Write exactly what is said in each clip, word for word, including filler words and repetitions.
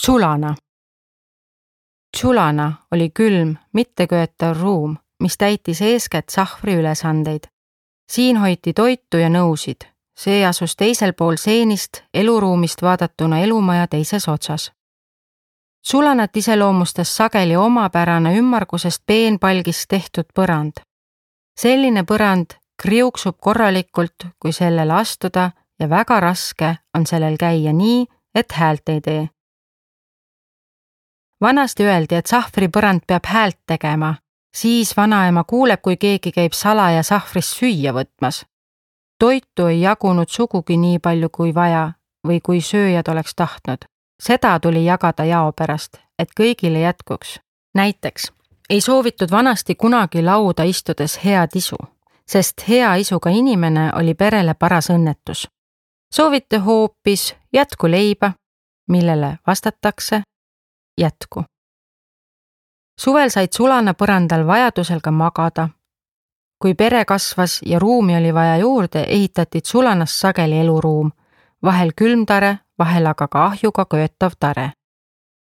Tsulana. Tsulana oli külm, mitteköetav ruum, mis täitis eeskätt sahvri ülesandeid. Siin hoiti toitu ja nõusid. See asus teisel pool seenist, eluruumist vaadatuna elumaja teises otsas. Tsulanat iseloomustas sageli omapärane ümmargusest peenpalgist tehtud põrand. Selline põrand kriuksub korralikult, kui sellele astuda ja väga raske on sellel käia nii, et häält ei tee. Vanasti öeldi, et sahvri põrand peab häält tegema, siis vanaema kuuleb, kui keegi käib salaja sahvrist süüa võtmas. Toitu ei jagunud sugugi nii palju kui vaja või kui sööjad oleks tahtnud. Seda tuli jagada jao pärast, et kõigile jätkuks. Näiteks ei soovitud vanasti kunagi lauda istudes head isu, sest hea isuga inimene oli perele paras õnnetus. Soovite hoopis jätku leiba, millele vastatakse jätku. Suvel said Tsulana põrandal vajadusel ka magada. Kui pere kasvas ja ruumi oli vaja juurde, ehitati Tsulanas sageli eluruum, vahel külmtare, vahel aga ka ahjuga köetav tare.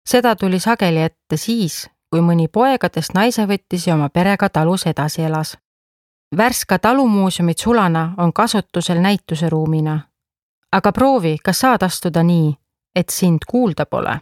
Seda tuli sageli ette siis, kui mõni poegadest naise võttis ja oma perega talus edasi elas. Värska talumuuseumi Tsulana on kasutusel näituse ruumina. Aga proovi, kas saad astuda nii, et sind kuulda pole.